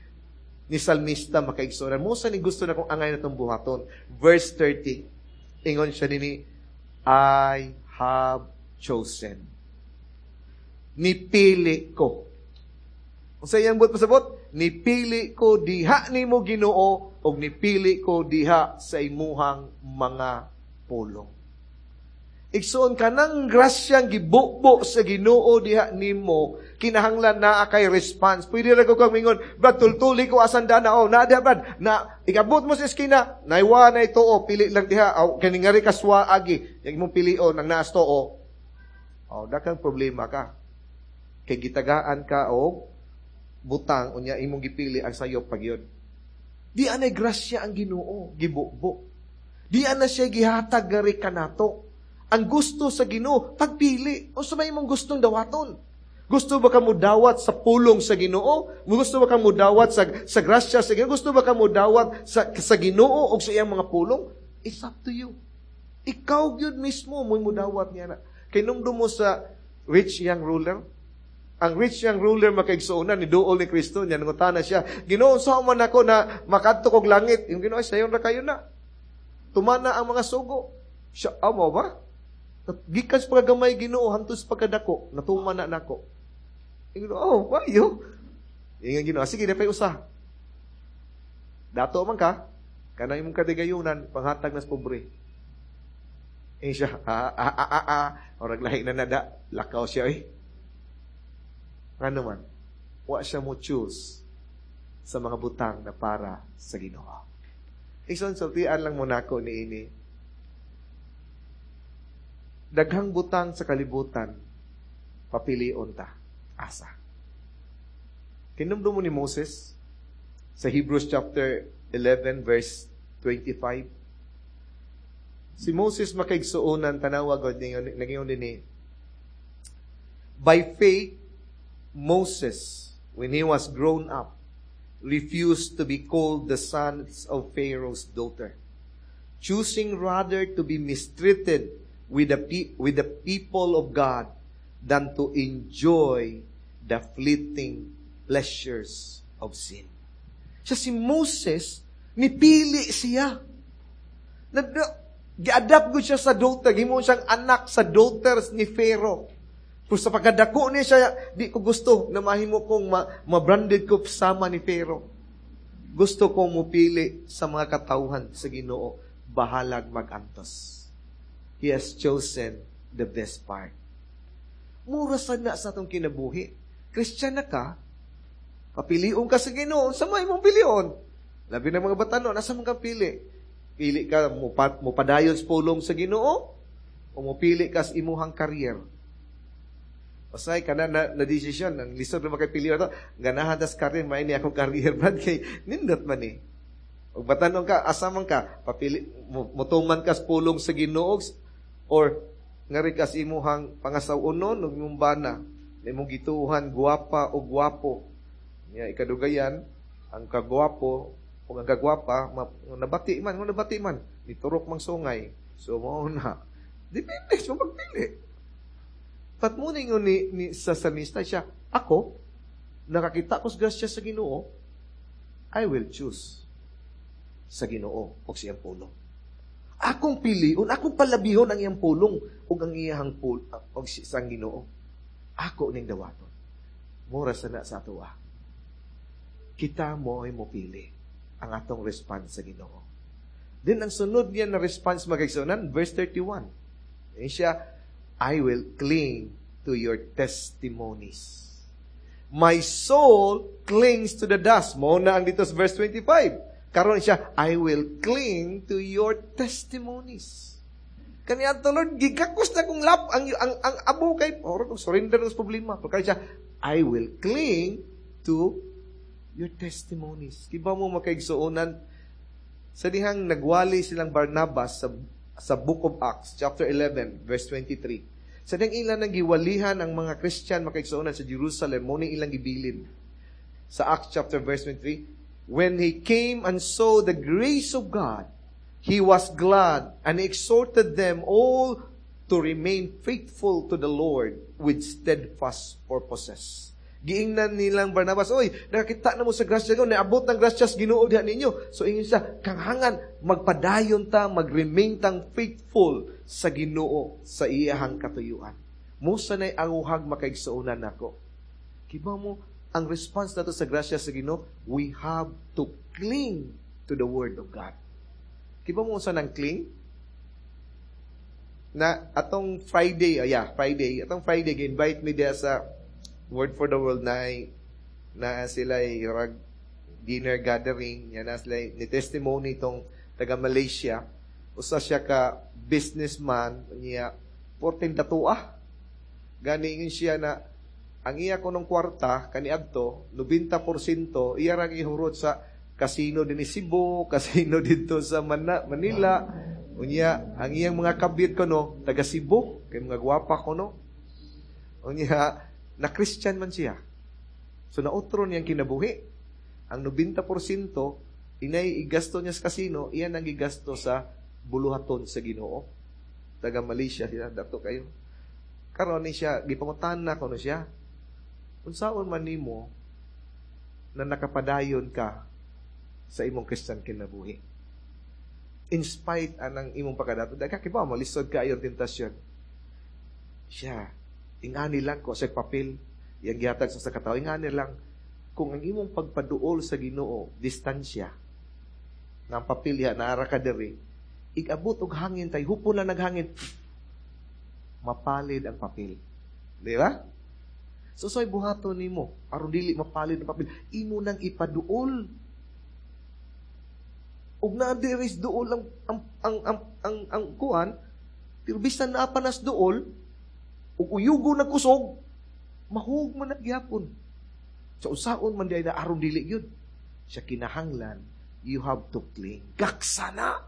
ni salmista, mga kaigsuonan. Mao sa ni gusto na kong angay natong buhaton. Verse thirty. Ingon siya nini, "I have chosen." Nipili ko. Unsa iyang buot pasabot? Nipili ko diha nimo, Ginoo, ug nipili ko diha sa imuhang mga pulong. Igsoon, kanang grasyang gibubo sa Ginoo diha nimo, kinahanglan naa kay response. Pwede ra ko kang mingon, "Brad, tultuli ko asan dana." Oh, na diha, Brad. Na ikabot mo sa eskina, naiwa na ito, oh, pili lang diha. Oh, kani ngari kaswa agi. Yang imong pilion ang naas to, oh. Oh, dakang problema ka. Kay gitagaan ka og butang, unya imong gipili ang sayop pag yun. Di anay grasya ang Ginoo, gibubo. Di ana siya gihatag gari kanato. Ang gusto sa Ginoo, pagpili. O sa may imong gustong dawaton. Gusto ba ka mudawat sa pulong sa Ginoo? Gusto ba ka mudawat sa sa grasya sa Ginoo? Gusto ba ka mudawat sa sa Ginoo o sa iyang mga pulong? It's up to you. Ikaw gyud mismo mo mudawat niya na. Kay numdum mo sa rich young ruler, ang rich young ruler, mga kaigsuonan, ni duol ni Kristo, niya nangutana siya, "Ginoo, sa man ako na makadto kog langit?" Yung Ginoo, "Sayon ra kayo na. Tumana ang mga sugo." Siya, "Amo ba? Gikan sa pagkagamay, Ginoo, hantos pagkadako, natuman na nako." Yung Ginoo, "Oh, wayo." Yung Ginoo, "Sige, dapay usa. Dato man ka, kanang imong kadigayunan, panghatag nas pobre." Eh siya, "Ah, ah, ah, ah, ah." Orag lahi na nada, lakaw siya eh. Ano man, wa siya mo choose sa mga butang na para sa Ginoo. Igsoon, sultian lang mo nako ni ini. Daghang butang sa kalibutan, papilion ta. Asa. Kinumdum mo ni Moses sa Hebrews chapter eleven verse twenty-five. Si Moses, mga kaigsuonan, tanawa god, nag-ingon din ni, "By faith, Moses, when he was grown up, refused to be called the son of Pharaoh's daughter, choosing rather to be mistreated with the, pe- with the people of God than to enjoy the fleeting pleasures of sin." Siya si Moses, nipili siya. Gi-adapt ko siya sa daughter, gimo siyang anak sa daughters ni Pharaoh. Pero sa pagkadako niya siya, "Di ko gusto na mahimo kong ma- ma-branded ko sama ni Pharaoh. Gusto kong mupili sa mga katawhan sa Ginoo, bahalag magantos." He has chosen the best part. Mura sa na sa atong kinabuhi. Christian na ka, papilion ka sa Ginoo, sa may mong pilion. Labi na mga batanon, nasa mong pili? Pili ka, mupat, mupadayon sa pulong sa Ginoo, o mupili ka sa imuhang career. Pasay ka na, na, na desisyon, ang lisod na makapili ito, ganahan tas career, may ni akong career, Brad, kay nindot man eh. Og batanon ka, asa man ka, papili, mutuman ka sa pulong sa Ginoo, or ngari ka sa imuhang pangasaw-unon, ug imong bana. Na imong gituohan guwapa o guwapo. Nya ikadugayan ang kagwapo o ang kagwapa nabati man, kung nabati man, niturok mang sungay. So mao na. Depende sa pagpili. But mo ni ni, ni sa salmista siya, ako, nakakita ko sa grasya sa Ginoo, I will choose sa Ginoo o sa iyang pulong. Akong piliun, akong palabihon ang iyang pulong ug ang iyang pul og sa Ginoo. Ako ning dawaton. Mura sa na sa atoa. Kita mo ay mopili ang atong response sa Ginoo. Then ang sunod niya na response, mga kaigsuonan, verse thirty-one. Eh siya, "I will cling to your testimonies. My soul clings to the dust." Mo na ang dito sa verse twenty-five. Karon siya, "I will cling to your testimonies." Kaniya to, "Lord, gigakos na kong lap, ang, ang, ang abo kay, or kung surrender sa problema." Pero siya, "I will cling to your testimonies." Kibaw mo, makaigsuonan, sa dihang nagwali silang Barnabas sa, sa Book of Acts, chapter eleven, verse twenty-three. Sa dihang ilan nang giwalihan ang mga Christian, makaigsuonan, sa Jerusalem, mo ni ilang gibilin. Sa Acts chapter verse twenty-three, "When he came and saw the grace of God, he was glad and exhorted them all to remain faithful to the Lord with steadfast purposes." Giingnan nilang Barnabas, "Oy, nakakita na mo sa grasya ko, naabot ng grasya sa Ginoo diha ninyo." So ingon siya, "Kanghangan, magpadayon ta, magremain tang faithful sa Ginoo sa iyahang katuyuan." Musa na'y anguhag, makaigsuonan nako. Kibaw mo, ang response nato sa grasya sa Ginoo, we have to cling to the Word of God. Kibaw mo sa nang cling? Na atong Friday, oh yeah, Friday, atong Friday, invite me diya sa Word for the World na na sila rag dinner gathering, yan na sila ni testimony itong taga Malaysia. Usa siya ka businessman niya, fourteen datua. Gani siya na ang iya kunong kwarta kaniadto ninety percent iya ra gihurot sa kasino din ni Cebu, kasino dito sa Mana, Manila. Unya, ang iyang mga kabit ko no, taga Cebu, kay mga gwapa ko no. Unya, na Christian man siya. So nautro niyang kinabuhi. Ang ninety percent inay igasto niya sa kasino, iyan ang gigasto sa buluhaton sa Ginoo. Taga Malaysia sila, dato kayo. Karon ni siya, gipangutan na kuno siya. "Unsaon man nimo na nakapadayon ka sa imong Christian kinabuhi in spite anang imong pagkadato? Dahil kibaw, malisod ka ayon tentasyon." Siya, ingani lang ko sa papel, iyang gihatag sa sa katao, ingani lang, kung ang imong pagpaduol sa Ginoo, distansya, nga ang papel ya, naara ka diri, igabot og hangin tay, hupon lang naghangin, mapalid ang papel. Di ba? So, so'y buhaton nimo aron dili mapalid ang papel? Imo nang ipaduol ug naa diri duol ang ang ang ang ang, ang kuan, pero bisan naa pa nas duol ug uyugo na kusog, mahug man na gyapon. So usaon man diay na aron dili gyud siya kinahanglan, you have to cling. Gaksana,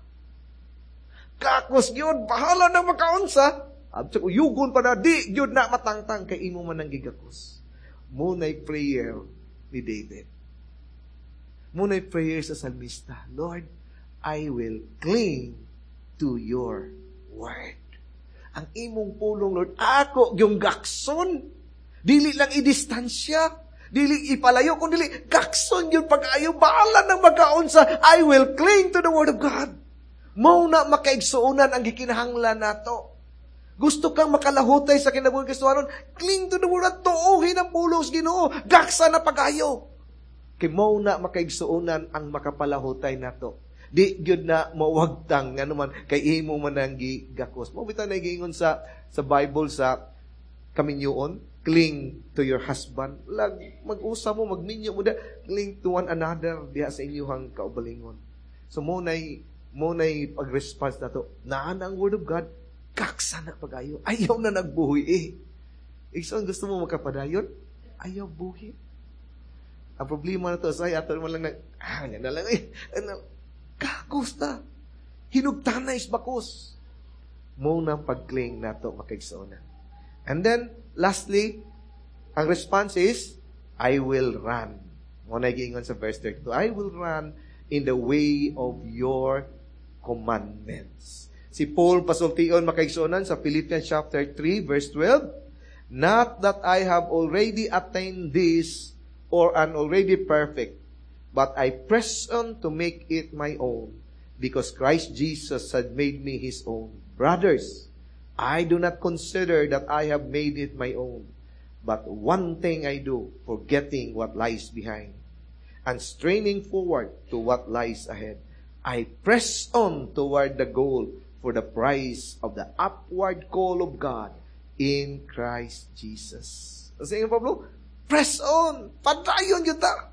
gakos gyud, bahala na makaunsa. Absa uyugon pa na, di gyud na matangtang kay imo man ang gigakos. Munay prayer ni David. Munay prayer sa salmista. "Lord, I will cling to your word." Ang imong pulong, Lord, ako yung gakson. Dili lang i-distansya. Dili ipalayo, kung dili, gakson yun pag-ayo, bahala ng magkaunsa, I will cling to the word of God. Mao na, makaigsuonan, ang gikinahanglan nato. Gusto kang makalahutay sa kinabuhi Kristohanon, cling to the word at tuuhin ang pulong sa Ginoo. Gaksa na pag-ayo. Kay mao na, makaigsuonan, ang makapalahutay nato. Di gyud na mawagtang ngano man kay imo man ang gigakos. Mo bitaw na giingon sa sa Bible sa kaminyoon, cling to your husband. Lag mag-usa mo, magminyo mo da, cling to one another diha sa inyong kaugalingon. So mo nay mo nay pag-response nato. Naa na ang word of God, kaksa na pag-ayo. Ayaw na nagbuhi eh. Igsoon, gusto mo makapadayon? Ayaw buhi. Ang problema na to, sa ato mo lang nag, ah, yan na lang eh. Ano, kakos na. Hinugtanay is bakos. Mo na pag-cling nato, makaigsoona. And then, lastly, Ang response is, I will run. Mao na giingon sa verse thirty-two, "I will run in the way of your commandments." Si Paul pasultion, mga kaigsuonan, sa Philippians chapter three verse twelve, "Not that I have already attained this or am already perfect, but I press on to make it my own, because Christ Jesus had made me His own. Brothers, I do not consider that I have made it my own, but one thing I do, forgetting what lies behind and straining forward to what lies ahead, I press on toward the goal for the prize of the upward call of God in Christ Jesus." Kasi yung Pablo, press on! Padayon gyud ta!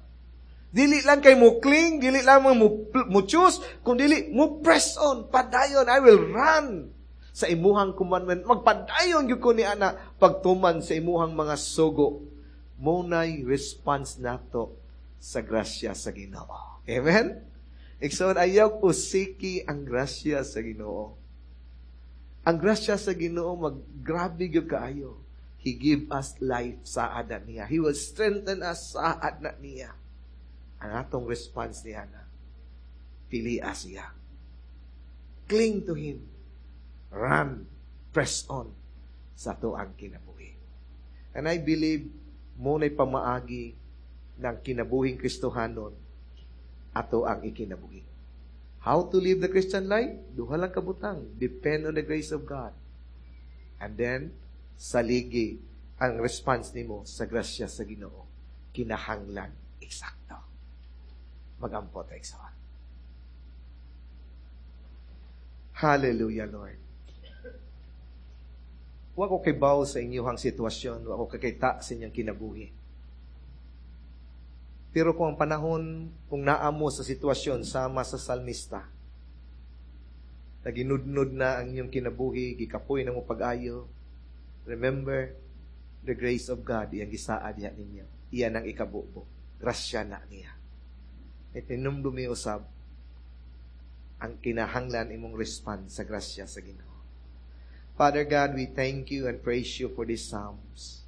Dili lang kay mo cling, dili lang mo, mo choose, kung dili mo press on, padayon, I will run sa imuhang commandment. Magpadayon gyud ko ni ana pagtuman sa imuhang mga sugo. Mao nay response nato sa grasya sa Ginoo. Amen? Igsoon, ayaw usiki ang grasya sa Ginoo. Ang grasya sa Ginoo maggrabe gyud kaayo. He give us life sa na niya. He will strengthen us sa na niya. Ang atong response niya na, pilia siya. Cling to Him. Run. Press on sa atoang kinabuhi. And I believe mao na'y pamaagi ng kinabuhing Kristohanon ato ang ikinabuhi. How to live the Christian life? Duha lang kabutang. Depend on the grace of God. And then, saligi ang response nimo sa grasya sa Ginoo. Kinahanglan eksakto. Magampo ta, igsoon. Hallelujah, Lord. Wa ko kibaw sa inyong sitwasyon, wa ko kakita sa inyong kinabuhi. Pero kung ang panahon, kung naa mo sa sitwasyon sama sa salmista, naginudnod na ang inyong kinabuhi, gikapoy na mo pag-ayo, remember the grace of God, iyang gisaad diha ninyo. Iyan ang ikabubo. Grasya na niya. Itinumdumi usab ang kinahanglan imong response sa grasya sa Ginoo. Father God, we thank you and praise you for these Psalms.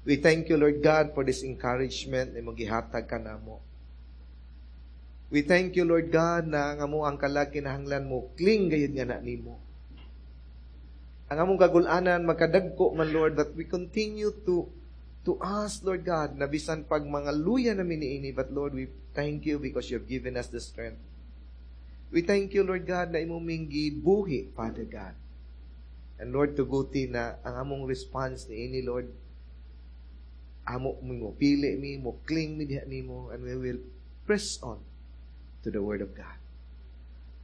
We thank you, Lord God, for this encouragement na imong gihatag kanamo. We thank you, Lord God, na ang amo ang kalag kinahanglan mo cling gayud nga na nimo. Ang among kagulanan magkadagko man, Lord, but we continue to to ask, Lord God, na bisan pag mga luya na niini, but Lord, we thank you because you have given us the strength. We thank you, Lord God, na imong gibuhi, Father God. And Lord, tuguti na ang among response ni ini, Lord, amo mo pili mi, mo cling mi diha nimo, and we will press on to the Word of God.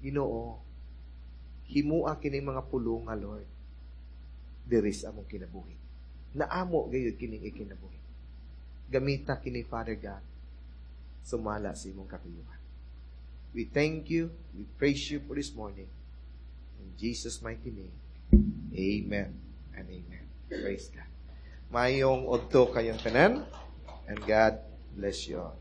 Ginoo, himua kini mga pulunga, Lord, diri sa among kinabuhi. Naamo gayud kining ikinabuhi. Gamita kini, Father God, sumala sa imong katuyuan. We thank you, we praise you for this morning. In Jesus' mighty name, amen and amen. Praise God. Maayong udto kayong tanan, and God bless you all.